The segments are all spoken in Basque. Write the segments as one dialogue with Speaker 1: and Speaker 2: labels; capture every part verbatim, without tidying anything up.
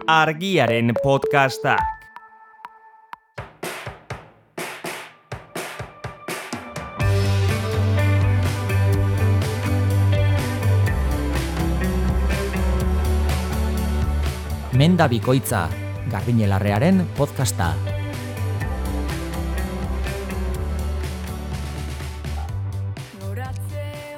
Speaker 1: Argiaren podcastak.
Speaker 2: Menda bikoitza, Garbiñelarrearen podcasta.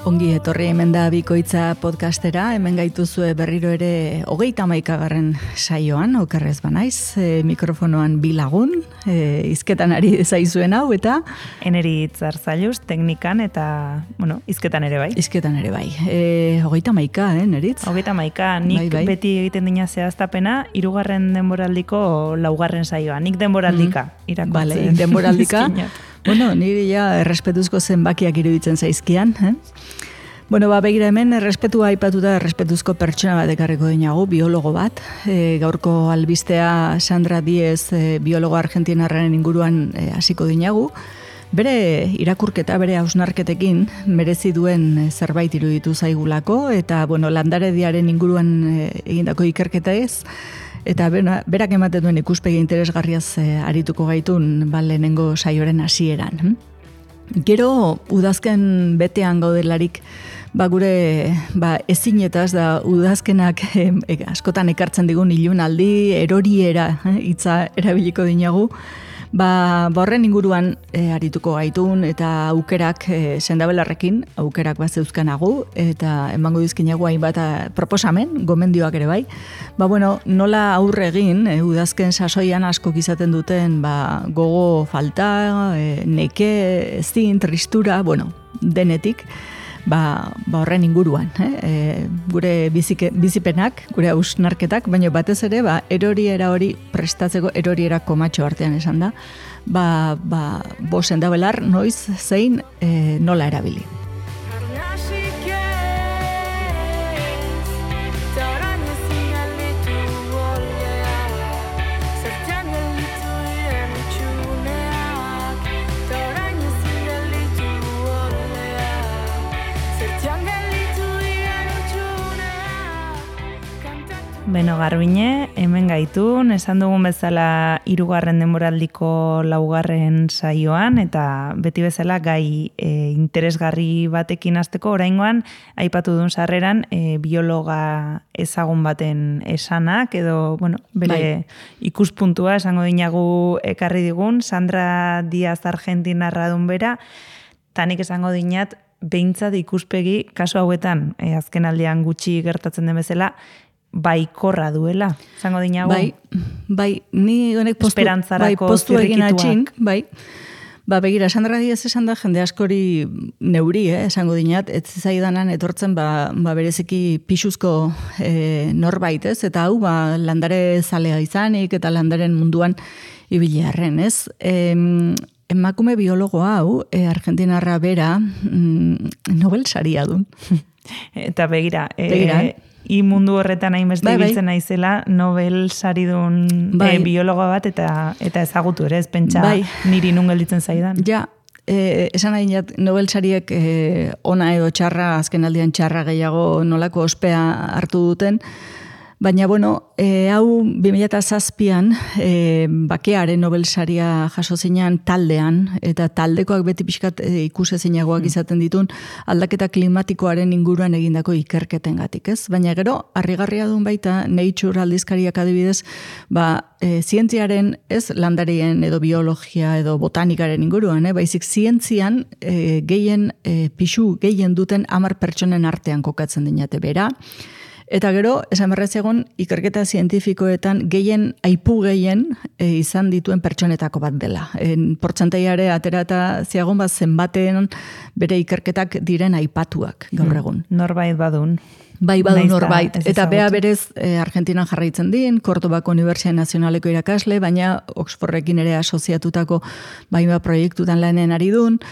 Speaker 3: Ongi etorri hemen da bikoitza podcastera, hemen gaituzue berriro ere hogeita hamaikagarren saioan, okerrez banaiz, e, mikrofonoan bi lagun, e, izketan ari zaizuen hau, eta...
Speaker 4: Eneri Zarzailuz, teknikan, eta, bueno, izketan ere bai.
Speaker 3: Izketan ere bai. E, hogeita hamaika, eh, Neritz?
Speaker 4: Hogeita hamaika, nik bai, bai. Beti egiten dina zehaztapena, hirugarren denboraldiko laugarren saioa. Nik denboraldika mm. irakurtzen.
Speaker 3: Bale, denboraldika. Bueno, niri ja errespetuzko zenbakiak iruditzen zaizkian, eh? Bueno, ba, begira hemen, errespetua aipatuta errespetuzko pertsona bat ekarriko dinagu, biologo bat. E, gaurko albistea Sandra Diez, e, biologo argentinarraren inguruan e, hasiko dinagu. Bere irakurketa, bere hausnarketekin merezi duen zerbait iruditu zaigulako, eta, bueno, landarediaren inguruan e, egindako ikerketa ez, eta berak ematen duen ikuspegi interesgarriaz e, arituko gaitun ba, lehenengo saioren hasieran. Gero, udazken betean gaudelarik, ba, gure ba, ezinetaz da udazkenak e, e, askotan ekartzen digun ilunaldi, eroriera hitza erabiliko dinagu, ba, ba horren inguruan e, arituko gaitun eta aukerak e, sendabelarrekin, aukerak bat zeuzkanagu, eta emango dizkinagu hainbat proposamen, gomendioak ere bai. Ba, bueno, nola aurre egin, e, udazken sasoian asko izaten duten ba, gogo falta, e, neke, ezin, tristura, bueno, denetik, ba, ba horren inguruan, eh? E, gure bizike, bizipenak, gure hausnarketak, baina batez ere, ba, eroriera hori prestatzeko eroriera komatxo artean esan da, ba, ba, bo sendabelar noiz zein e, nola erabili.
Speaker 4: Beno, Garbine, hemen gaitun, esan dugun bezala hirugarren denboraldiko laugarren saioan, eta beti bezala gai e, interesgarri batekin hasteko oraingoan, aipatu duen sarreran, e, biologa ezagun baten esanak, edo, bueno, bere bai. Ikuspuntua esango dinagu ekarri digun, Sandra Diaz argentinarra dun bera, tanik esango dinat, behintzat ikuspegi, kasu hauetan, e, azken aldean gutxi gertatzen den bezala, baikorra duela, zango dinago?
Speaker 3: Bai, bai, ni honek postu, bai, postu egin atxin, bai. Ba, begira, Sandra Diaz esan da, jende askori neuri, eh, esango dinat, ez zaidanan etortzen, ba, ba bereziki pixuzko e, norbait, ez? Eta hau, ba, landare zalea izanik, eta landaren munduan ibilearren, ez? E, emakume biologo hau, e, argentinarra bera, mm, Nobel saria du.
Speaker 4: Eta begira, e,
Speaker 3: begira,
Speaker 4: I mundu horretan hainbeste bai, ibiltzen bai. Naizela, Nobel saridun bai. e, biologoa bat eta eta ezagutu ere, ez pentsa bai. Niri nun gelditzen zaidan.
Speaker 3: Ja, e, esan nahi jat, Nobel sariek e, ona edo txarra, azken aldian txarra gehiago nolako ospea hartu duten, baina, bueno, e, hau bi mila zazpian e, bakearen Nobel saria jaso zeinan taldean, eta taldekoak beti pixkat e, ikusezinagoak izaten ditun aldaketa klimatikoaren inguruan egindako ikerketengatik, ez? Baina gero, harrigarria duen baita, Nature aldizkariak adibidez, ba, e, zientziaren, ez, landarien edo biologia edo botanikaren inguruan, eh? Baizik zientzian e, gehien, e, pixu gehien duten hamar pertsonen artean kokatzen dinate bera. Eta gero, esan berrez egon, ikerketa zientifikoetan gehien, aipu gehien e, izan dituen pertsonetako bat dela. En portzentaiare aterata ziagon bat zenbaten bere ikerketak diren aipatuak gaur egun.
Speaker 4: Hmm, norbait badun.
Speaker 3: Bai, badu norbait. Eta bea berez e, Argentinan jarraitzen din, Kordobako Unibertsitate Nazionaleko irakasle, baina Oxfordrekin ere asoziatutako baima proiektutan lanen ari dun.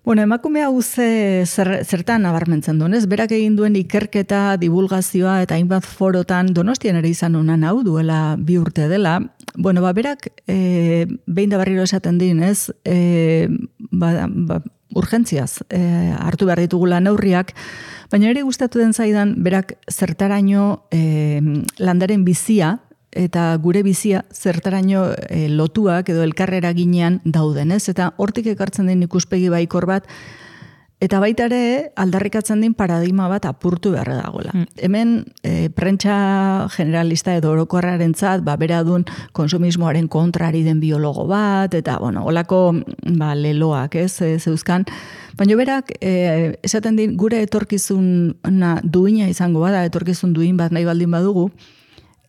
Speaker 3: Bueno, emakume hau ze, zer, zertan nabarmentzen duen, ez? Berak egin duen ikerketa, divulgazioa eta hainbat forotan Donostian ere izan honan hau duela bi urte dela. Bueno, ba, berak e, behin da berriro esaten din, ez? E, ba, ba, urgentziaz e, hartu behar ditugula neurriak, baina ere gustatu den zaidan berak zertaraino e, landaren bizia eta gure bizia zertaraino e, lotuak edo elkarrera ginean dauden, ez? Eta hortik ekartzen den ikuspegi baikor bat, eta baita ere aldarrikatzen din paradigma bat apurtu beharra dagoela. Mm. Hemen e, prentsa generalista edo orokorrarentzat, ba, bera dun konsumismoaren kontrari den biologo bat, eta, bueno, holako ba, leloak, ez, e, zeuzkan. Baina berak, e, esaten din, gure etorkizuna duina izango bada, etorkizun duin bat nahi baldin badugu,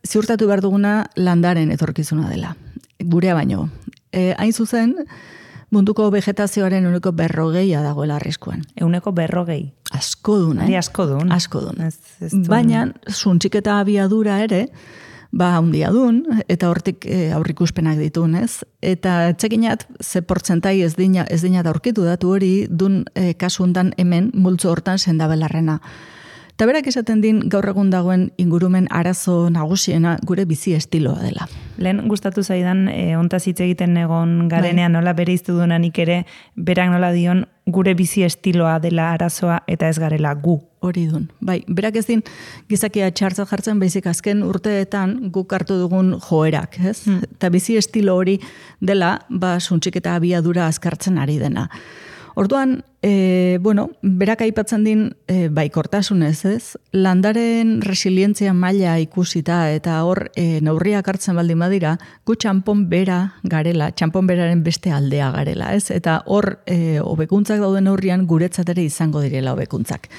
Speaker 3: ziurtatu behar duguna landaren etorkizuna dela. Gurea baino. E, hain zuzen, munduko vegetazioaren euneko berrogeia dagoela arriskuan.
Speaker 4: Euneko berrogei.
Speaker 3: Asko dun, eh?
Speaker 4: Ari asko dun.
Speaker 3: Asko dun.
Speaker 4: Ez, ez dun.
Speaker 3: Baina, zuntxiketa abiadura ere, ba, handia dun, eta hortik e, aurrikuspenak ditun, ez? Eta txekinat, ze portzentai ez dina, ez dina aurkitu datu hori, dun e, kasundan hemen, multzo hortan sendabelarrena. Eta berak esaten din gaur egun dagoen ingurumen arazo nagusiena gure bizi estiloa dela.
Speaker 4: Lehen gustatu zaidan, e, ontaz hitz egiten egon garenean, nola bere iztu duenanik ere, berak nola dion gure bizi estiloa dela arazoa eta ez garela gu.
Speaker 3: Hori dun. Bai, berak ez din gizakia txartza jartzen baizik azken urteetan guk hartu dugun joerak, ez? Hmm. Eta bizi estilo hori dela, ba, suntxik eta abiadura azkartzen ari dena. Orduan, e, bueno, berak aipatzen din e, baikortasunez, ez? Landaren resilientzia maila ikusita eta hor e, neurriak hartzen baldin badira, gu txanpon bera garela, txanpon beraren beste aldea garela, ez? Eta hor e, hobekuntzak dauden neurrian guretzat ere izango direla hobekuntzak.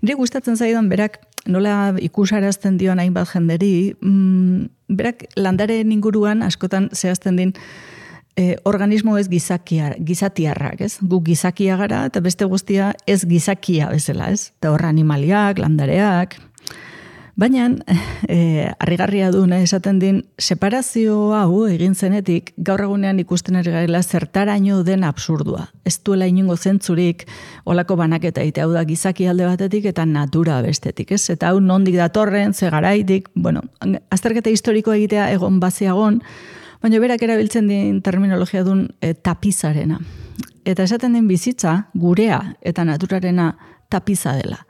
Speaker 3: Nire gustatzen zaidan berak nola ikusarazten dion hainbat jenderi, mm, berak landaren inguruan askotan zehazten din E, organismo ez gizakia, gizatiarrak, ez? Gu gizakia gara eta beste guztia ez gizakia bezala, ez? Eta hor animaliak, landareak. Baina, e, harrigarria du, ne, esaten din, separazio hau egin zenetik, gaur egunean ikusten ari garela zertaraino den absurdua. Ez duela inongo zentzurik, olako banaketa ite, hau da gizaki alde batetik eta natura bestetik, ez? Eta hau nondik datorren, ze garaitik, bueno, azterketa historiko egitea egon baziagon, baina berak erabiltzen din terminologia dun e, tapizarena. Eta esaten den bizitza, gurea eta naturarena tapiza dela.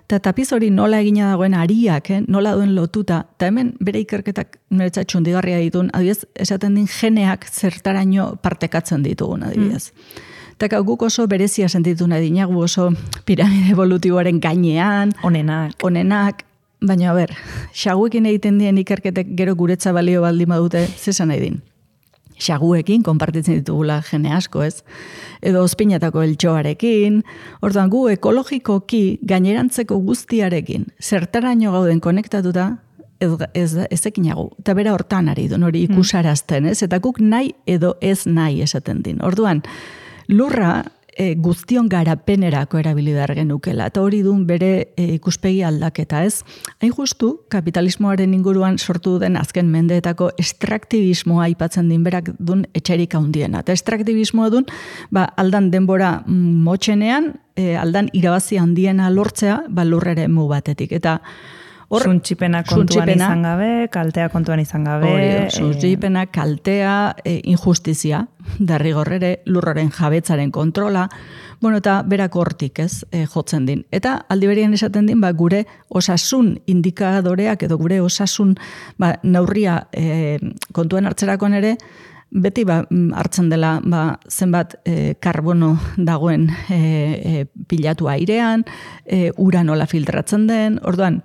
Speaker 3: Eta tapiz hori nola egina dagoen ariak, eh? Nola duen lotuta, eta hemen bere ikerketak niretzat txundigarria ditun, adibidez, esaten din geneak zertaraino partekatzen ditugun, adibidez. Mm. Eta guk oso berezia sentitu nahi dinagu, oso piramide evolutiboaren gainean,
Speaker 4: onenak,
Speaker 3: onenak, baina, a ber, xaguekin egiten dien ikerketek gero guretza balio baldin badute, zesan nahi din. Xaguekin, konpartitzen ditugula jene asko, ez? Edo ospinatako eltxoarekin, orduan gu ekologikoki gainerantzeko guztiarekin, zertaraino gauden konektatuta, ez, ez, ezekinagu. Eta bera hortan ari duen hori ikusarazten, ez? Eta guk nahi edo ez nahi esaten din. Orduan, lurra, E, guztion garapenerako erabilidar genukela. Eta hori duen bere e, ikuspegi aldaketa, ez? Hain justu, kapitalismoaren inguruan sortu den azken mendeetako estraktibismoa aipatzen din berak duen etxerik handiena. Eta estraktibismoa duen, ba, aldan denbora motxenean, e, aldan irabazi handiena lortzea, ba, lurrere mu batetik. Eta
Speaker 4: Suntxipena kontuan izan gabe, kaltea kontuan izan gabe.
Speaker 3: Hori, suntxipena, kaltea, e, injustizia, derrigorrere, lurraren jabetzaren kontrola, bueno, eta berak hortik, ez, e, jotzen din. Eta aldi berean esaten din, ba, gure osasun indikadoreak edo gure osasun ba, neurria e, kontuan hartzerakoan ere, beti ba, hartzen dela ba, zenbat e, karbono dagoen e, e, pilatu airean, e, ura nola filtratzen den, orduan,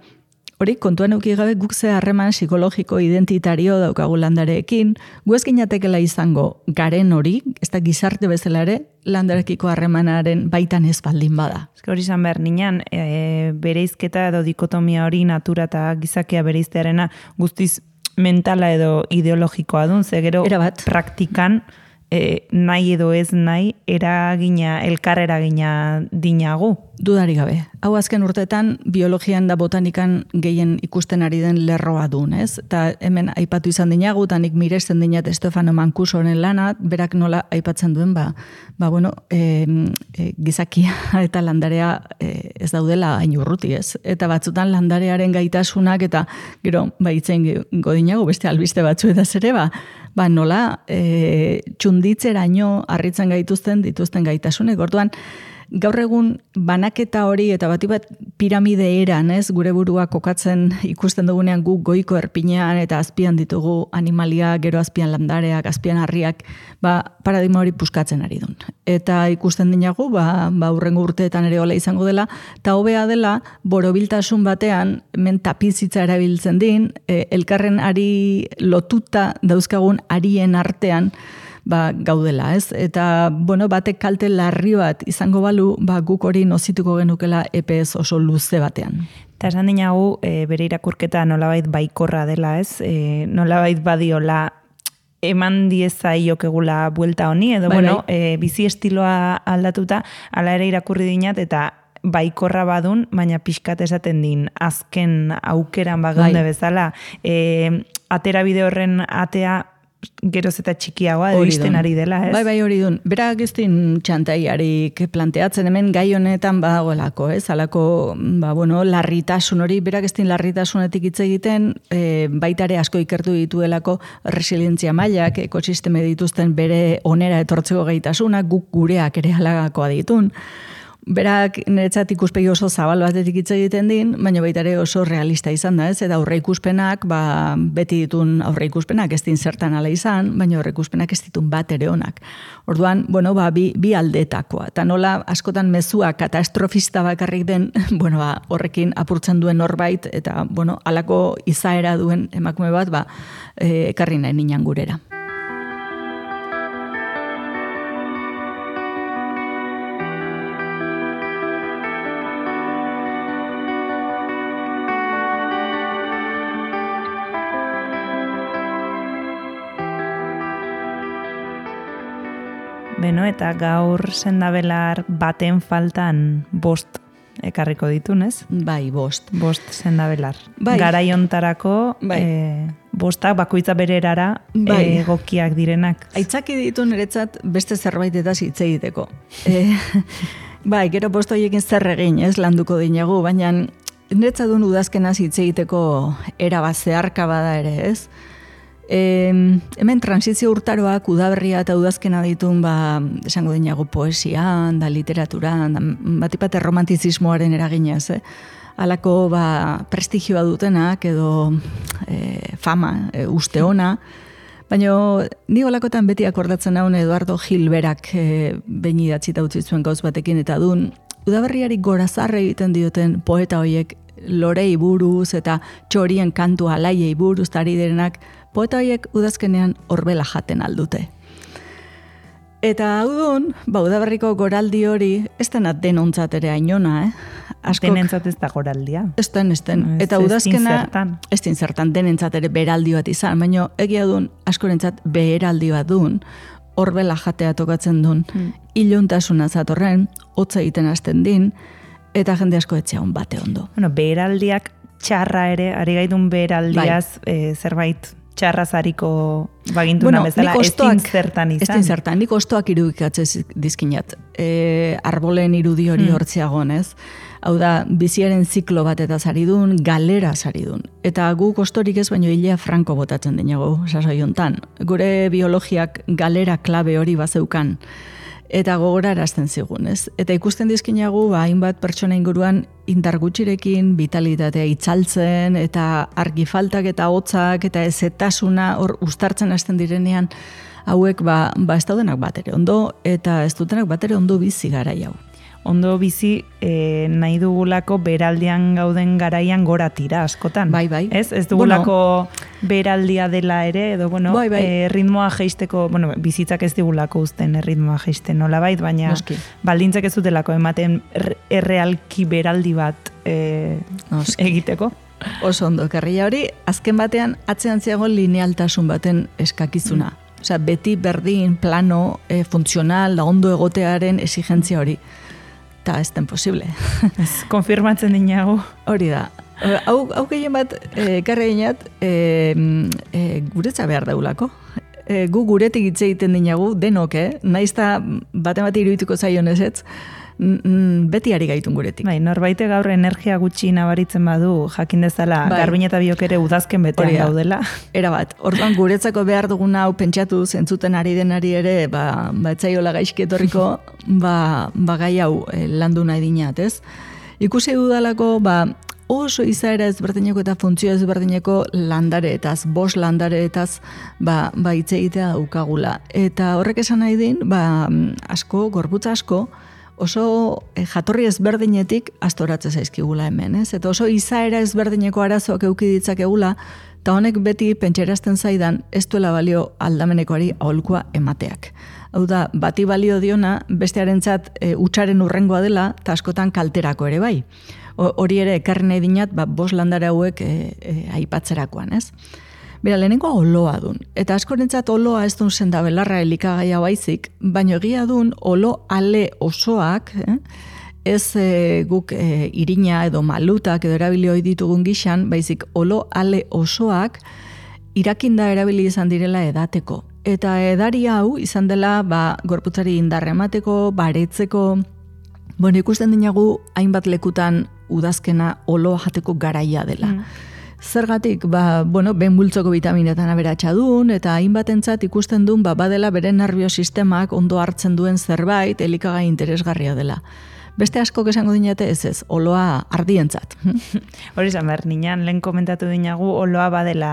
Speaker 3: hori, kontuan euki gabe guk ze harreman psikologiko identitario daukagu landareekin, gu ez ginatekela izango garen hori, ez da gizarte bezala ere, landarekiko harremanaren baitan ez baldin bada.
Speaker 4: Ez hori izan behar nian, e, bereizketa edo dikotomia hori natura eta gizakia bereiztearena guztiz mentala edo ideologikoa dun, ze gero praktikan e, nahi edo ez nahi eragina, elkar eragina dinagu.
Speaker 3: Dudari gabe. Hau azken urteetan biologian da botanikan gehien ikusten ari den lerroa dun, ez? Eta hemen aipatu izan dinagu, eta nik miresten dinat Stefano Mancusoren lana, berak nola aipatzen duen, ba, ba bueno, e, e, gizakia eta landarea e, ez daudela hain urruti, ez? Eta batzutan landarearen gaitasunak, eta gero, ba, itzen godinagu, beste albiste batzuetaz ere, ba, ba nola e, txunditzeraino harritzen gaituzten dituzten gaitasunek, orduan, gaur egun banaketa hori eta bati bat piramide eran, ez, gure burua kokatzen ikusten dugunean gu goiko erpinean eta azpian ditugu animalia, gero azpian landareak, azpian harriak, ba, paradigma hori puskatzen ari dun. Eta ikusten dinagu, ba, ba urrengo urteetan ere hola izango dela, eta hobea dela, borobiltasun batean, men tapizitza erabiltzen din, e, elkarren ari lotuta dauzkagun arien artean, ba, gaudela, ez? Eta, bueno, batek kalte larri bat izango balu, ba, guk hori nozituko genukela epez oso luze batean.
Speaker 4: Eta esan dinagu, e, bere irakurketa nolabait baikorra dela, ez? E, nolabait badiola eman diezaiok egula buelta honi, edo, bai, bueno, bai. E, bizi estiloa aldatuta, ala ere irakurri dinat, eta baikorra badun, baina pixkat esaten din, azken aukeran bageunde bai. Bezala, e, atera bide horren atea, geroz eta txikiagoa iristen ari dela, ez?
Speaker 3: Bai, bai, hori dun. Berak ez din txantaiarik planteatzen hemen gai honetan badagoelako, ez? Halako, ba, bueno, larritasun hori, berak ez din larritasunetik hitz egiten, e, baitare asko ikertu dituelako resilientzia mailak, ekosisteme dituzten bere onera etortzeko gaitasunak, guk gureak ere halagakoa ditun. Berak niretzat ikuspegi oso zabal batetik hitz egiten din, baina baita ere oso realista izan da, ez? Eta aurre ikuspenak, ba, beti ditun aurre ikuspenak ez din zertan ala izan, baina aurre ikuspenak ez ditun bat ere onak. Orduan, bueno, ba, bi, bi aldetakoa. Eta nola askotan mezua katastrofista bakarrik den, bueno, ba, horrekin apurtzen duen norbait, eta, bueno, halako izaera duen emakume bat, ba, e, ekarri nahi ninan gurera.
Speaker 4: Beno, eta gaur sendabelar baten faltan bost ekarriko ditunez?
Speaker 3: Bai, bost.
Speaker 4: Bost sendabelar.
Speaker 3: Bai.
Speaker 4: Garaiontarako bai. E, bostak bakoitza bererara bai. Egokiak direnak.
Speaker 3: Aitzaki ditu niretzat beste zerbaitetaz hitz egiteko. E, bai, gero bost horiekin zer egin, ez, landuko dinagu, baina niretzat duen udazkenaz hitz egiteko erabat zeharka bada ere, ez? E, hemen transizio urtaroak udaberria eta udazkena ditun, ba, esango dinago poesian, da literaturan, da, batipate romantizismoaren eraginez, eh? Halako ba, prestigioa dutenak edo e, fama, e, uste ona, baina ni holakotan beti akordatzen haun Eduardo Gilberak e, behin idatzita utzi zuen gauz batekin eta dun, udaberriari gorazarre egiten dioten poeta hoiek lorei buruz eta txorien kantu alaiei buruz tari direnak, poeta horiek udazkenean horbela jaten aldute. Eta hau dun, ba, udaberriko goraldi hori, ez dena denontzat ere ainona, eh? Askok,
Speaker 4: denentzat ez da goraldia.
Speaker 3: Ez den, ez den. Eta udazkena, ez din zertan, denentzat ere beraldi bat izan, baina egia dun, askorentzat beheraldi bat dun, horbela jatea tokatzen dun, hmm. iluntasuna zatorren, hotza egiten hasten din, eta jende asko etxea hon bate ondo.
Speaker 4: Bueno, beheraldiak txarra ere, ari gaitun beheraldiaz, bai. e, zerbait txarrazariko bagintuna bueno, bezala, ez din zertan izan.
Speaker 3: Ez din zertan, nik ostoak irudikatzez dizkinat. E, arbolen irudi hori hmm. hortziagon, ez? Hau da, biziaren ziklo bat eta zaridun, galera zaridun. Eta gu kostorik ez baino hilea franko botatzen dinago, sasoi hontan. Gure biologiak galera klabe hori bazeukan. Eta gogora erazten zigun, ez? Eta ikusten dizkinagu, ba, hainbat pertsona inguruan indar gutxirekin, vitalitatea itzaltzen, eta argi faltak eta hotzak, eta ezetasuna hor ustartzen hasten direnean, hauek ba, ba ez daudenak batere ondo, eta ez dutenak batere ondo bizi garai hau.
Speaker 4: Ondo bizi e, nahi dugulako beraldian gauden garaian gora tira askotan.
Speaker 3: Bai, bai.
Speaker 4: Ez, ez dugulako bueno, beraldia dela ere, edo bueno, bai, bai. E, ritmoa jeisteko, bueno, bizitzak ez digulako uzten ritmoa jeisten nolabait, baina Noski. Baldintzak ez dutelako ematen errealki beraldi bat e, egiteko.
Speaker 3: Oso ondo, karria hori, azken batean atzean ziago linealtasun baten eskakizuna. Mm. Osea, beti berdin, plano, e, funtzional, da ondo egotearen exigentzia hori. Eta ez den posible.
Speaker 4: Ez, konfirmatzen dinago.
Speaker 3: Hori da. Hau, hau gehien bat, e, karre ginat, e, e, guretza behar daulako. E, gu guretik hitz egiten dinagu, denok, eh? Naizta bate bat irudituko zaion ez, beti ari gaitun guretik.
Speaker 4: Bai, norbaite gaur energia gutxi nabaritzen badu, jakin dezala, bai. Garbin eta biok ere udazken betean gaudela.
Speaker 3: Era bat, orduan guretzako behar duguna hau pentsatu, zentzuten ari denari ere, ba, ba etzaiola gaizki etorriko, ba, ba gai hau eh, landu nahi dinat, ez? Ikusi dudalako, ba, oso izaera ezberdineko eta funtzio ezberdineko landareetaz, bos landareetaz, ba, ba hitz egitea daukagula. Eta horrek esan nahi din, ba, asko, gorputza asko, oso eh, jatorri ezberdinetik astoratzen zaizkigula hemen, ez? Eta oso izaera ezberdineko arazoak eduki ditzakegula, eta honek beti pentserazten zaidan ez duela balio aldamenekoari aholkua emateak. Hau da, bati balio diona, bestearentzat e, utxaren urrengoa dela, eta askotan kalterako ere bai. Hori ere, ekarri nahi dinat, ba, bos landare hauek e, e, aipatzerakoan, ez? Bera, lehenengoa oloa dun. Eta askorentzat oloa ez dun zenda belarra elikagaia baizik, baino egia dun olo ale osoak, eh? ez e, guk e, irina edo malutak edo erabili hoi ditugun gixan, baizik olo ale osoak irakinda erabili izan direla edateko. Eta edari hau izan dela ba, gorputzari indarra emateko, baretzeko, bueno, ikusten dinagu hainbat lekutan udazkena oloa jateko garaia dela. Mm. Zergatik, ba, bueno, ben multzoko vitaminetan aberatsa duen, eta hainbatentzat ikusten duen, ba, badela bere nerviosistemak ondo hartzen duen zerbait, elikagai interesgarria dela. Beste asko esango dinate ez ez, oloa ardientzat.
Speaker 4: Hori izan behar, ninan, lehen komentatu dinagu, oloa badela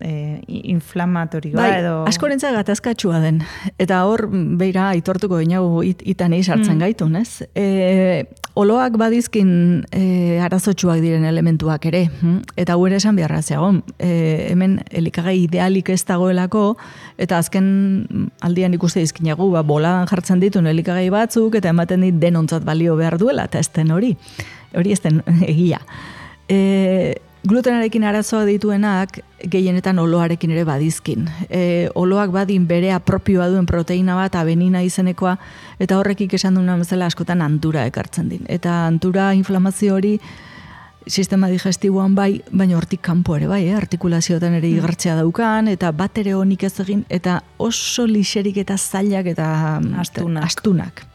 Speaker 4: e, inflamatorioa
Speaker 3: bai,
Speaker 4: edo...
Speaker 3: askorentzat gatazkatsua den. Eta hor, beira, aitortuko dinagu it, itan sartzen mm. gaitun, ez? E, oloak badizkin e, arazotsuak diren elementuak ere. Eta gu ere esan beharra zeagon. E, hemen elikagai idealik ez dagoelako, eta azken aldian ikuste dizkinagu, ba, boladan jartzen ditun elikagai batzuk, eta ematen dit denontzat balio behar duela, eta ez den hori. Hori ez den egia. E, glutenarekin arazoa dituenak, gehienetan oloarekin ere badizkin. E, oloak badin bere apropioa duen proteina bat, abenina izenekoa, eta horrekik esan duna bezala askotan antura ekartzen din. Eta antura inflamazio hori sistema digestiboan bai, baina hortik kanpo ere bai, eh? Artikulazioetan ere igartzea daukan, eta bat ere honik ez egin, eta oso lixerik eta zailak eta
Speaker 4: astunak.
Speaker 3: astunak.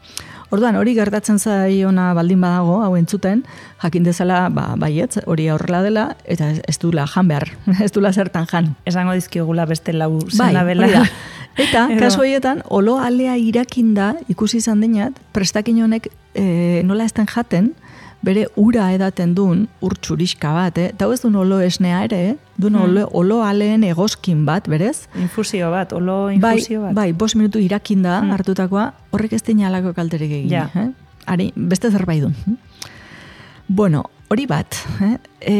Speaker 3: Orduan, hori gertatzen zaiona baldin badago, hau entzuten, jakin dezala, ba, baietz, hori aurrela dela, eta ez dula jan behar, ez dula zertan jan.
Speaker 4: Esango dizkiogula beste lau
Speaker 3: bai,
Speaker 4: zenabela.
Speaker 3: Eta, kasu horietan, olo alea irakinda, ikusi izan dinat, prestakin honek e, nola ezten jaten, bere ura edaten duen ur txuriska bat, eh? Eta ez duen olo esnea ere, eh? duen hmm. olo, olo aleen egoskin bat, berez?
Speaker 4: Infusio bat, olo infusio
Speaker 3: bai,
Speaker 4: bat.
Speaker 3: Bai, bost minutu irakinda hmm. hartutakoa, horrek ez dina alako kalterik egin.
Speaker 4: Ja.
Speaker 3: Eh? Ari, beste zerbait duen. Bueno, hori bat, eh? E,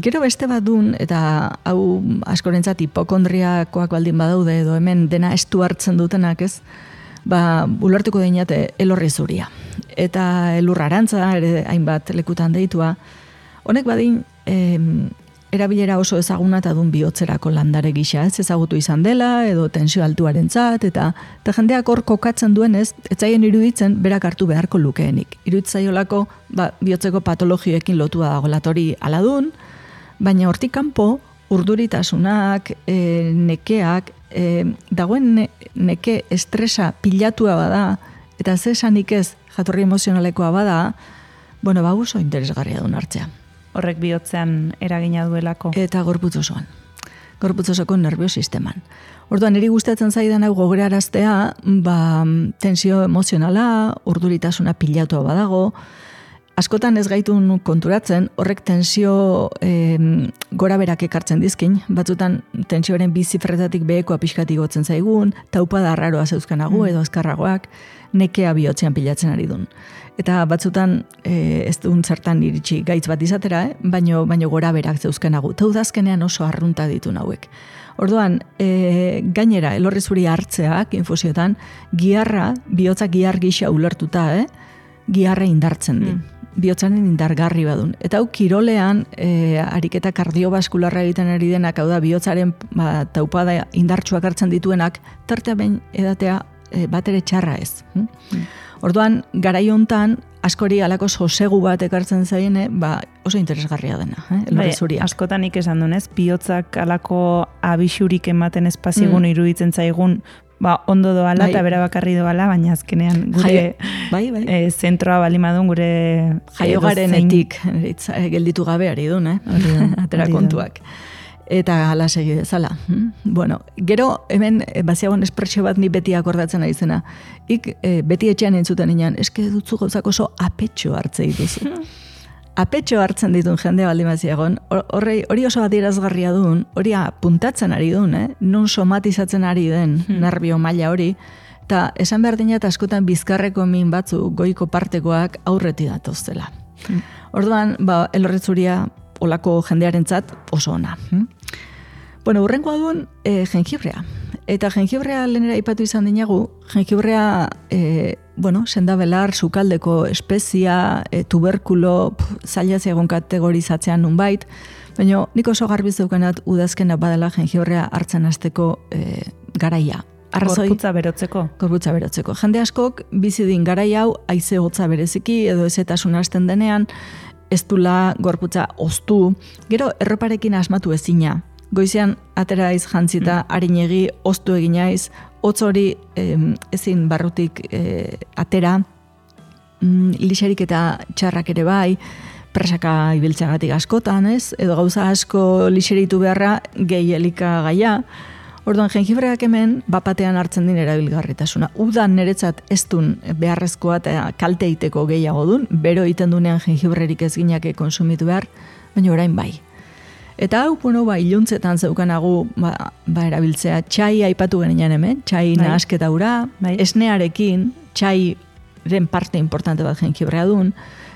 Speaker 3: gero beste bat duen, eta hau askorentzat hipokondriakoak baldin badaude, edo hemen dena estu hartzen dutenak, ez? Ba, ulertuko dinate elorri zuria. Eta elur arantza, ere hainbat lekutan deitua. Honek badin, em, erabilera oso ezaguna eta dun bihotzerako landare gisa, ez ezagutu izan dela, edo tensio altuarentzat, eta, eta jendeak hor kokatzen duenez, etzaien iruditzen berak hartu beharko lukeenik. Iruditzaiolako, ba, bihotzeko patologioekin lotua dago latori aladun, baina hortik kanpo, urduritasunak, e, nekeak, e, dagoen ne, neke estresa pilatua bada, eta zesanik ez jatorri emozionalekoa bada, bueno, ba, oso interesgarria duen hartzea.
Speaker 4: Horrek bihotzean eragina duelako.
Speaker 3: Eta gorputz osoan. Gorputz osoko nerviosisteman. Orduan, niri gustatzen zaidan hau gogoraraztea, ba, tensio emozionala, urduritasuna pilatua badago, askotan ez gaitun konturatzen, horrek tensio e, gora berak ekartzen dizkin, batzutan tensioaren bi zifretatik behekoa pixkati gotzen zaigun, taupada arraroa zeuzkanagu mm. edo azkarragoak, nekea bihotzean pilatzen ari dun. Eta batzutan e, ez duen zertan iritsi gaitz bat izatera, eh? baino, baino gora berak zeuzkanagu. Taudazkenean oso arrunta ditu nauek. Orduan, e, gainera, elorri zuri hartzeak, infusiotan, giharra, bihotza gihar gisa ulertuta, eh? giharra indartzen di. Mm. Bihotzaren indargarri badun. Eta hau kirolean, e, ariketa kardiobaskularra egiten ari denak, hau da, bihotzaren ba, taupada indartsuak hartzen dituenak, tartea behin edatea e, bat ere txarra ez. Hm? Mm. Orduan, garai hontan, askori alako sosegu bat ekartzen zaiene, ba, oso interesgarria dena, eh? elorri zuriak.
Speaker 4: Bai, askotan ikizan dunez, bihotzak alako abisurik ematen espazigun mm. iruditzen zaigun ba, ondo doala
Speaker 3: bai.
Speaker 4: eta bera bakarri doala, baina azkenean gure
Speaker 3: Jaio, bai, bai.
Speaker 4: E, zentroa balimadun gure
Speaker 3: jaiogarenetik gelditu gabe ari duen, eh? Atera kontuak. Eta hala segi dezala. Bueno, gero hemen baziagon espresio bat ni beti akordatzen ari zena. Ik e, beti etxean entzuten inan, eske dutzu gauzak oso apetxo hartze dituzu. Apetxo hartzen ditun jende baldin baziagon, hori hori oso adierazgarria duen, hori puntatzen ari duen, eh? Non somatizatzen ari den hmm. nervio maila hori, eta esan behar dinat askotan bizkarreko min batzu goiko partekoak aurreti datoztela. Hmm. Orduan, ba, elorritzuria olako jendearentzat oso ona. Hmm? Bueno, urrenkoa duen e, jengibrea. Eta jengibrea lehenera aipatu izan dinagu, jengibrea, e, bueno, sendabelar, sukaldeko espezia, e, tuberkulo, zaila zegoen kategorizatzean nunbait, baina nik oso garbi zeukanat udazkena badala jengibrea hartzen hasteko e, garaia. Arrazoi,
Speaker 4: gorputza berotzeko.
Speaker 3: Gorputza berotzeko. Jende askok bizidin garai hau haize hotza bereziki edo ezetasun hasten denean, ez dula gorputza oztu, gero erroparekin asmatu ezina. Goizean atera iz jantzita, mm. harinegi, oztu eginaiz, hotz hori eh, ezin barrutik eh, atera, mm, lixerik eta txarrak ere bai, presaka ibiltzagatik askotan, ez? Edo gauza asko lixeritu beharra gehi elikagaia. Orduan, jengibreak hemen bapatean hartzen din erabilgarritasuna. Udan niretzat ez dun beharrezkoa eta kalte iteko gehiago dun, bero iten dunean jengibrerik ez ginake konsumitu behar, baina orain bai. Eta hau, bueno, ba, iluntzetan zeukanagu ba, ba erabiltzea, txai aipatu genian hemen, txai bai. Nahasketa ura, bai. Esnearekin, txairen parte importante bat jengibrea dun,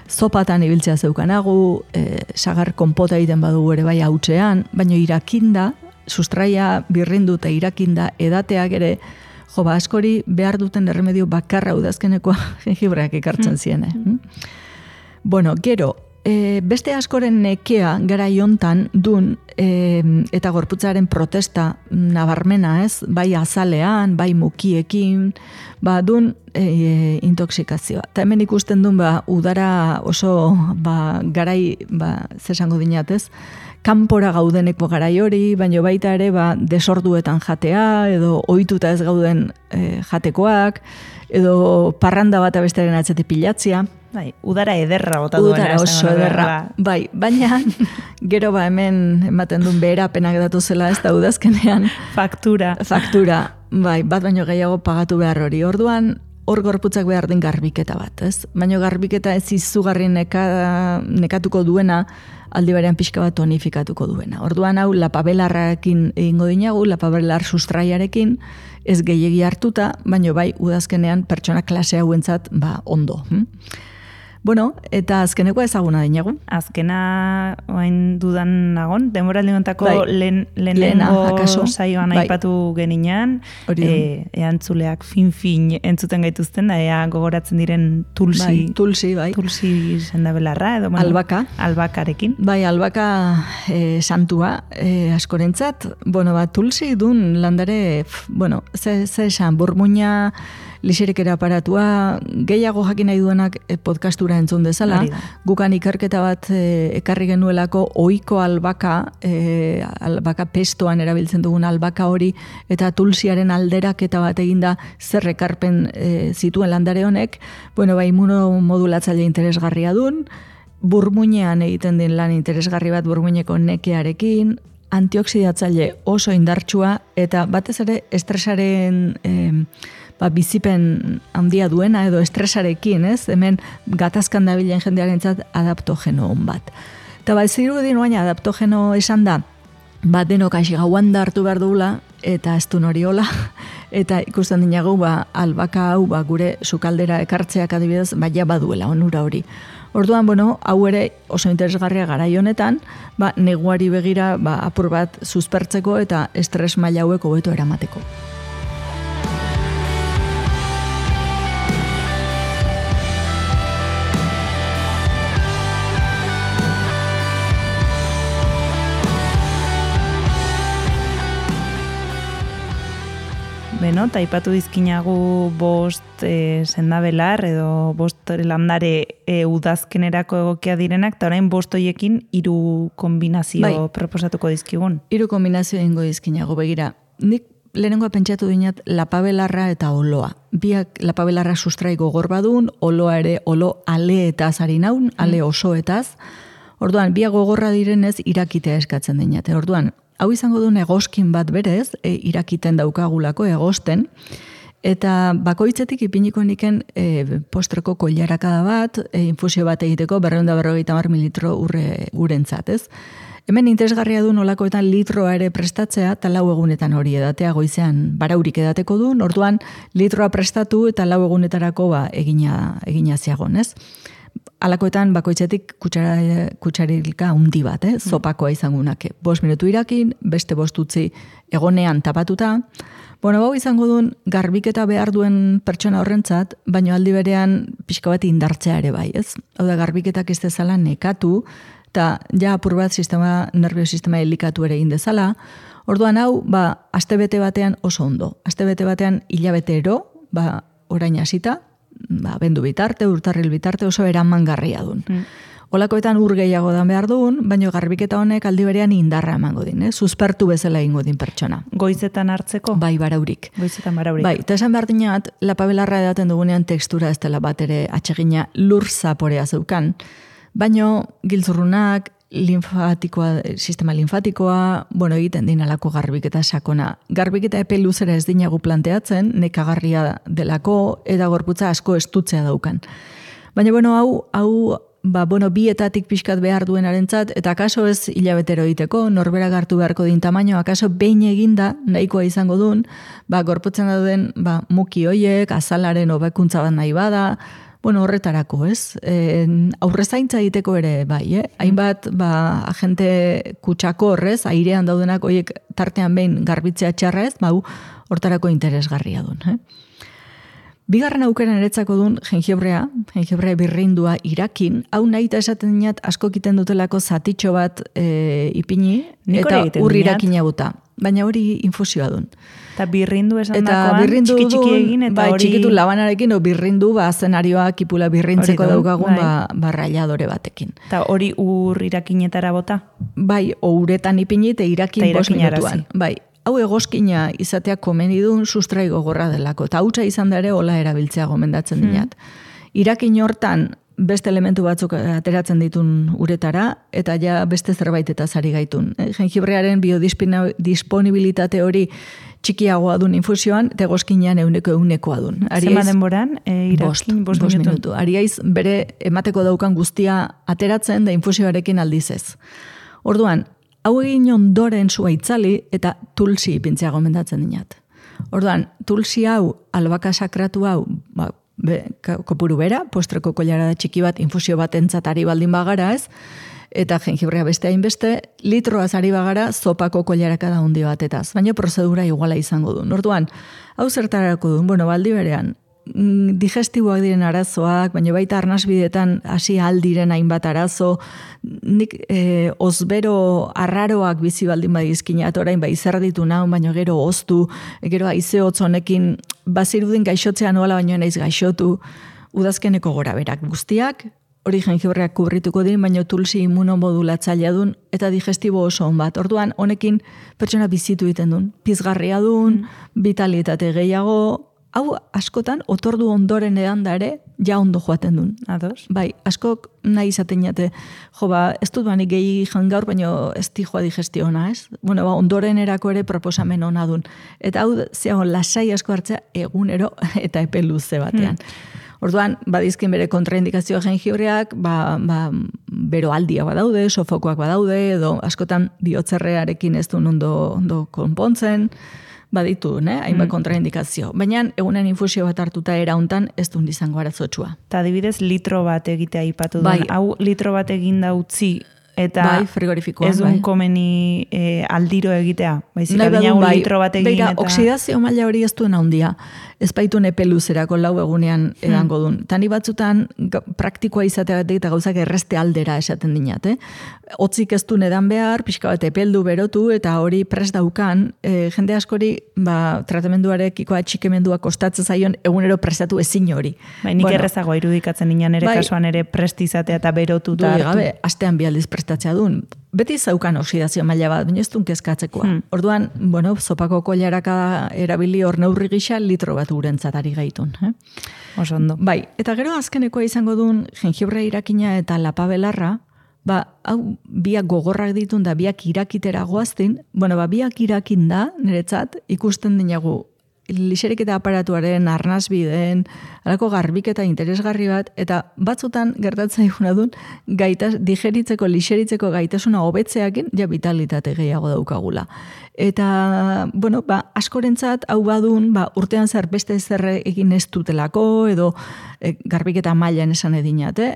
Speaker 3: zopatan ibiltzea zeukanagu, e, sagar konpota egiten badugu ere bai hautzean, baina irakinda, sustraia birrindu eta irakinda edateak ere, jo, ba, askori behar duten erremedio bakarra udazkenekoa jengibreak ekartzen ziene. Mm. Bueno, gero, e, beste askoren nekea gara jontan dun e, eta gorputzaren protesta nabarmena, ez? Bai azalean, bai mukiekin, ba, dun e, intoxikazioa. Eta hemen ikusten dun, ba, udara oso, ba, garai, ba, zesango dinat, ez? Kanpora gaudeneko garai hori, baina baita ere ba, desorduetan jatea, edo ohituta ez gauden e, jatekoak, edo parranda bat abestearen atzetik pilatzia.
Speaker 4: Bai, udara ederra bota duena.
Speaker 3: Udara oso ederra. Bai, baina gero ba hemen ematen duen beherapenak datuzela ez da udazkenean.
Speaker 4: Faktura.
Speaker 3: Faktura, bai, bat baino gehiago pagatu behar hori. Orduan, hor gorputzak behar den garbiketa bat, ez? Baina garbiketa ez izugarri neka, nekatuko duena, aldi berean pixka bat tonifikatuko duena. Orduan hau lapabelarrarekin egingo dinagu, lapabelar sustraiarekin, ez gehiegi hartuta, baina bai udazkenean pertsona klase hauentzat ba, ondo. Hm? Bueno, eta azkeneko ezaguna dinagu.
Speaker 4: Azkena oain dudan nagon, denboraldi hontako bai. lehen, lehenengo saioan bai. Aipatu geninan, e, eantzuleak fin-fin entzuten gaituzten, da ea gogoratzen diren tulsi,
Speaker 3: bai, tulsi, bai.
Speaker 4: tulsi sendabelarra, edo bueno,
Speaker 3: albaka.
Speaker 4: albakarekin.
Speaker 3: Bai, albaka e, santua e, askorentzat, bueno, ba, tulsi dun landare, bueno, ze, ze esan, burmuina, lixerikera aparatua, gehiago jakin nahi duenak podcastura entzun dezala, gukan ikerketa bat e, ekarri genuelako ohiko albaka, e, albaka pestoan erabiltzen dugun albaka hori, eta tulsiaren alderaketa bat eginda zer ekarpen e, zituen landare honek, bueno, ba, immunomodulatzaile interesgarria dun, burmuinean egiten den lan interesgarri bat burmuineko nekearekin, antioxidatzaile oso indartsua, eta batez ere estresaren e, ba, bizipen handia duena edo estresarekin, ez? Hemen gatazkan dabilen jendearentzat adaptogeno on bat. Eta ba, zirudin oain adaptogeno esan da, ba, denok aixi gauan da hartu behar dugula, eta ez du hori hola, eta ikusten dinagu, ba, albaka hau, ba, gure sukaldera ekartzeak adibidez, ba, ja baduela onura hori. Orduan, bueno, hau ere oso interesgarria garai honetan, ba, neguari begira, ba, apur bat suspertzeko eta estres maila hauek hobeto eramateko.
Speaker 4: Beno, eta ipatu dizkinagu bost e, sendabelar edo bost landare e, udazkenerako egokia direnak, eta orain bost hoiekin hiru kombinazio bai. Proposatuko dizkigun.
Speaker 3: Hiru kombinazio egingo dizkinagu, begira. Nik lehenengoa pentsatu dinat lapabelarra eta oloa. Biak lapabelarra sustrai gogor badun, oloa ere olo aleetaz ari naun, ale osoetaz. Orduan, biak gogorra direnez irakitea eskatzen dinate. Orduan, hau izango duen egoskin bat berez, e, irakiten daukagulako egosten, eta bakoitzetik ipiniko niken e, postreko koilarakada bat, e, infusio bat egiteko berrehun eta berrogeita hamar mililitro urre urentzat, ez? Hemen interesgarria du nolakoetan litroa ere prestatzea, eta lau egunetan hori edatea goizean baraurik edateko du, orduan litroa prestatu eta lau egunetarako ba, egina, egina ziagon, ez? Alakoetan bakoitzetik kutsara, kutsarilka undi bat, eh? Zopakoa izangunak. Bost minutu irakin, beste bost utzi egonean tapatuta. Bueno, bau izango duen garbiketa behar duen pertsona horrentzat, baina aldi berean pixka bat indartzea ere bai, ez? Hau da, garbiketak ez dezala nekatu, eta ja apur bat sistema, nerviosistema helikatu ere egin dezala. Orduan hau, ba, astebete batean oso ondo. Astebete batean hilabetero, ba, orain hasita, ba, bendu bitarte, urtarril bitarte oso eramangarria dun. Mm. Olakoetan ur gehiago dan behar duen, baina garbiketa honek aldi berean indarra emango din, eh? Suspertu bezala egingo din pertsona.
Speaker 4: Goizetan hartzeko?
Speaker 3: Bai, baraurik.
Speaker 4: Goizetan baraurik.
Speaker 3: Bai, eta esan behar dinat, lapabelarra edaten dugunean tekstura ez dela bat ere atsegina lur zaporea zeukan, baino giltzurrunak, linfatikoa, sistema linfatikoa, bueno, egiten din alako garbiketa sakona. Garbiketa epe luzera ez dinagu planteatzen, nekagarria delako, eta gorputza asko estutzea daukan. Baina, bueno, hau, hau, ba, bueno, bietatik pixkat behar duenarentzat, eta akaso ez hilabetero egiteko, norbera hartu beharko din tamaino, akaso behin eginda, nahikoa izango duen, ba, gorputzen dauden, ba, muki hoiek, azalaren hobekuntza bat nahi bada, bueno, horretarako, ez? E, aurrezaintza egiteko ere, bai, eh? Hainbat, ba, agente kutsako horrez, airean daudenak, hoiek tartean behin garbitzea txarra ez, bau, hortarako interesgarria duen, eh? Bigarren aukera niretzako duen jengibrea, jengibrea birrindua irakin, hau nahi eta esaten dinat asko kiten dutelako zatitxo bat e, ipini, eta ur irakina buta. Baina hori infusioa duen.
Speaker 4: Eta birrindu esan dakoan, txiki-txiki egin, eta
Speaker 3: bai,
Speaker 4: hori...
Speaker 3: txikitu labanarekin, o birrindu, ba, zenarioa kipula birrintzeko daukagun, bai. ba, barrailadore batekin.
Speaker 4: Eta hori ur irakinetara bota?
Speaker 3: Bai, o uretan ipini, eta irakin bost minutuan. Bai, hau egoskina izatea komeni duen sustrai gogorra delako, eta hautsa izan da ere hola erabiltzea gomendatzen dinat. Hmm. Irakin hortan beste elementu batzuk ateratzen ditun uretara, eta ja beste zerbait eta zari gaitun. Jengibrearen biodisponibilitate hori txikiagoa dun infusioan, eta egoskinean euneko eunekoa dun.
Speaker 4: Zema denboran, e, irakin bost, bost minutu.
Speaker 3: minutu. Ariaiz bere emateko daukan guztia ateratzen, da infusioarekin aldizez. Orduan, hau egin ondoren zua itzali eta tulsi ipintzea gomendatzen dinat. Orduan, tulsi hau, albaka sakratu hau, ba, be, kopuru bera, postreko koilara da txiki bat, infusio bat entzatari baldin bagara ez, eta jengibrea beste hainbeste, litroaz ari bagara, zopako koilaraka da hundi batetaz. Baina prozedura iguala izango du. Orduan, hau zertarako duen, bueno, baldi berean, digestiboak diren arazoak, baina baita arnasbidetan hasi aldiren hainbat arazo, nik e, ozbero arraroak bizi baldin badizkinat orain bai zer ditu nau, baina gero oztu, gero haize hotz honekin bazirudin gaixotzea noala baino naiz gaixotu, udazkeneko gora berak guztiak, hori jengibreak kubrituko din, baina tulsi immunomodulatzailea dun, eta digestibo oso on bat. Orduan, honekin pertsona bizitu egiten duen, pizgarria duen, mm. vitalitate gehiago, hau askotan, otordu ondoren edan da ere, ja ondo joaten duen.
Speaker 4: Ados?
Speaker 3: Bai, askok nahi izaten jate, jo ba, ez dut banik gehi jangaur, baina ez di joa digestio ona, ez? Bueno, ba, ondoren erako ere proposamen ona duen. Eta hau, zeago, lasai asko hartzea egunero eta epe luze batean. Hmm. Orduan, badizkin bere kontraindikazioa jengibreak, ba, ba, bero aldia badaude, sofokoak badaude, edo askotan bihotzerrearekin ez duen ondo, ondo konpontzen, baditu, ne? Hainbat mm. kontraindikazio. Baina egunen infusio bat hartuta era hontan ez duen izango arazotsua.
Speaker 4: Ta adibidez litro bat egitea aipatu duen.
Speaker 3: Bai.
Speaker 4: Hau litro bat egin da utzi eta
Speaker 3: bai, frigorifikoan,
Speaker 4: ez duen
Speaker 3: bai.
Speaker 4: komeni e, aldiro egitea. Baizik
Speaker 3: Nahi
Speaker 4: adina
Speaker 3: bai.
Speaker 4: litro bat egin
Speaker 3: Beira,
Speaker 4: eta...
Speaker 3: oksidazio maila hori ez duen handia. Ez baitu nepe luzerako lau egunean edango duen. Hmm. Tani batzutan praktikoa izateagatik eta gauzak erreste aldera esaten dinat. Eh? Otzik ez duen edan behar, pixka bat epeldu berotu eta hori prest daukan, e, jende askori ba, tratamenduarekiko atxikemendua kostatzen zaion egunero prestatu ezin hori.
Speaker 4: Bai, nik bueno, errezagoa irudikatzen nian ere
Speaker 3: bai,
Speaker 4: kasuan ere prest izatea eta berotu eta hartu.
Speaker 3: Gabe, astean bi aldiz prestatzea duen. beti zaukan oxidazio maila bat, baina ez duen kezkatzekoa. Hmm. Orduan, bueno, zopako koilaraka erabili hor neurri gisa litro bat urentzat ari gaitun. Eh?
Speaker 4: Oso ondo.
Speaker 3: Bai, eta gero azkenekoa izango duen jengibre irakina eta lapabelarra, ba, hau biak gogorrak ditun da biak irakitera goaztin, bueno, ba, biak irakin da, niretzat, ikusten dinagu, lixeriketa aparatuaren arnazbideen, alako garbiketa interesgarri bat, eta batzutan gertatzen diguna duen, gaitas, digeritzeko, lixeritzeko gaitasuna hobetzeakin, ja vitalitate gehiago daukagula. Eta, bueno, ba, askorentzat, hau badun, ba, urtean zer beste zer egin ez dutelako, edo e, garbiketa mailan esan edinat, eh?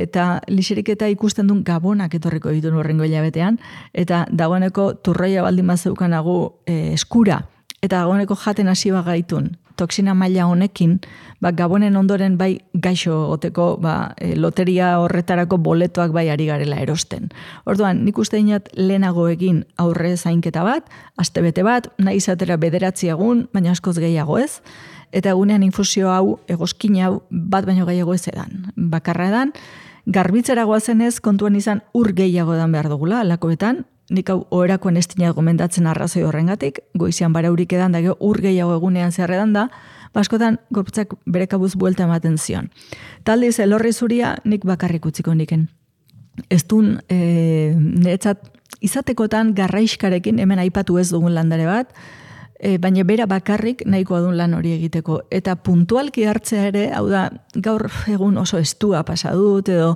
Speaker 3: Eta lixeriketa ikusten duen gabonak etorriko ditun horrengo hilabetean, eta dagoeneko turroia baldin bazeukanagu e, eskura, eta dagoeneko jaten hasi bagaitun, toksina maila honekin, ba, gabonen ondoren bai gaixo goteko ba, e, loteria horretarako boletoak bai ari garela erosten. Orduan, nik uste dinat lehenago egin aurre zainketa bat, astebete bat, nahi izatera bederatzi egun, baina askoz gehiago ez, eta egunean infusio hau, egoskin hau, bat baino gehiago ez edan. Bakarra edan, garbitzera goazenez kontuan izan ur gehiago edan behar dugula, alakoetan, nik hau oherakoen ez dinat gomendatzen arrazoi horrengatik, goizian baraurik edan da, ur gehiago egunean zerredan da, baskotan gorputzak bere kabuz buelta ematen zion. Taldiz, elorri zuria nik bakarrik utziko niken. Ez dun, e, niretzat, izatekotan garraiskarekin, hemen aipatu ez dugun landare bat, e, baina bera bakarrik nahikoa dun lan hori egiteko. Eta puntualki hartzea ere, hau da, gaur egun oso estua pasadut, edo,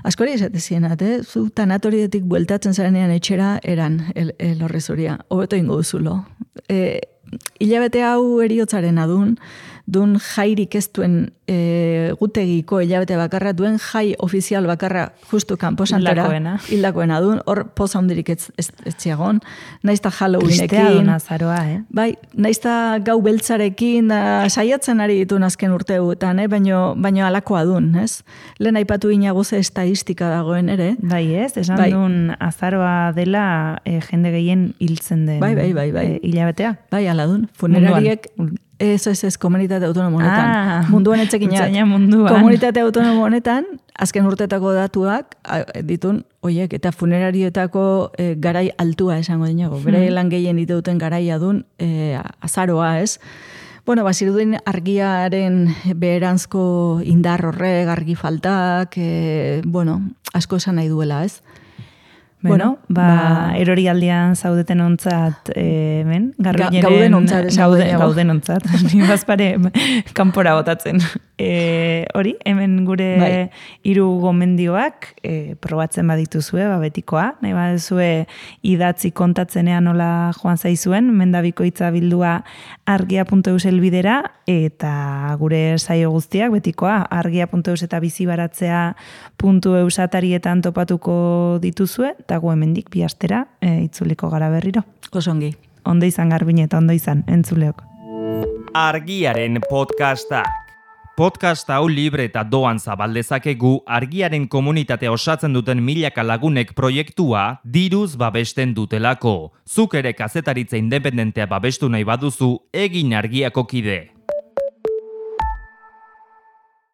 Speaker 3: askori esatezienat, eh? Zu tanatorietik bueltatzen zarenean etxera eran el, el horrezuria. Hobeto ingo duzulo. E, hilabete hau eriotzaren adun, dun jairik ez duen e, gutegiko hilabete bakarra, duen jai ofizial bakarra justu kanposantera.
Speaker 4: Hildakoena.
Speaker 3: Hildakoena dun, hor poza hundirik ez, ez, ez ziagon. Naizta Halloweenekin.
Speaker 4: Tristea duna zaroa, eh?
Speaker 3: Bai, naizta gau beltzarekin, da, saiatzen ari ditun azken urteutan, eh? Baino, baino alakoa dun, ez? Lehen aipatu inago ze estadistika dagoen ere.
Speaker 4: Bai, ez? Esan bai. Dun azaroa dela e, jende gehien hiltzen den
Speaker 3: bai, bai, bai, bai.
Speaker 4: E, hilabetea.
Speaker 3: Bai, ala dun. Funerariek... Munduan. Ez, ez, ez, komunitate autonomo honetan.
Speaker 4: Ah,
Speaker 3: munduan etxekinak.
Speaker 4: Munduan.
Speaker 3: Komunitate autonomo honetan, azken urtetako datuak ditun, oiek, eta funerarietako e, garai altua esango dinago. Hmm. Bere lan gehien duten garaia dun e, azaroa, ez? Bueno, bazirudin argiaren beheranzko indar horrek, argi faltak, e, bueno, asko esan nahi duela, ez?
Speaker 4: Bueno, ba, ba erorialdian zaudeten ontzat, eh, men, garruineren...
Speaker 3: Gauden ontzat,
Speaker 4: gaude, gauden ontzat. Ni bazpare kanpora botatzen. E, hori, hemen gure bai. Hiru gomendioak e, probatzen badituzue, ba, betikoa. Nahi baduzue idatzi kontatzenean nola joan zaizuen, mendabikoitza bildua argia puntu eus elbidera, eta gure saio guztiak betikoa, argia puntu eus eta bizibaratzea puntu eus atarietan topatuko dituzue, eta gu hemendik bi astera e, itzuliko gara berriro.
Speaker 3: Osongi.
Speaker 4: Ondo izan Garbine eta ondo izan, entzuleok.
Speaker 1: Argiaren podcastak. Podcast hau libre eta doan zabaldezakegu Argiaren komunitatea osatzen duten milaka lagunek proiektua diruz babesten dutelako. Zuk ere kazetaritza independentea babestu nahi baduzu, egin Argiako kide.